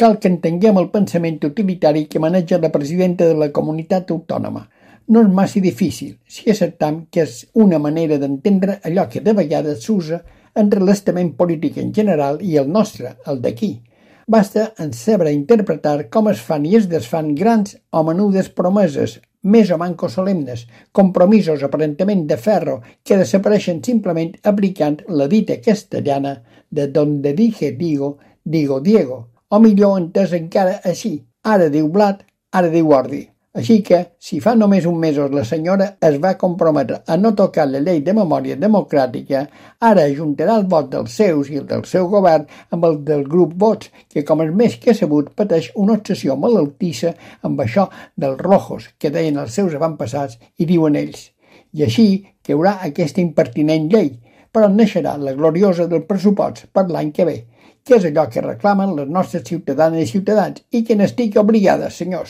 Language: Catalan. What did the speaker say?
Cal que entenguem el pensament utilitari que maneja la presidenta de la comunitat autònoma. No és massa difícil si acceptam que és una manera d'entendre allò que de vegades s'usa entre l'estament polític en general i el nostre, el d'aquí. Basta en saber interpretar com es fan i es desfan grans o menudes promeses, més o manco solemnes, compromisos aparentment de ferro que desapareixen simplement aplicant la dita castellana de donde dije digo, digo Diego, o millor entès encara així, ara diu blat, ara diu ordi. Així que, si fa només un mesos la senyora es va comprometre a no tocar la llei de memòria democràtica, ara ajuntarà el vot dels seus i el del seu govern amb el del grup Vots, que com és més que sabut pateix una obsessió malaltissa amb això dels rojos que deien els seus avantpassats i diuen ells. I així caurà aquesta impertinent llei, però naixerà la gloriosa del pressupost per l'any que ve, que és allò que reclamen les nostres ciutadanes i ciutadans i que n'estic obligada, senyors.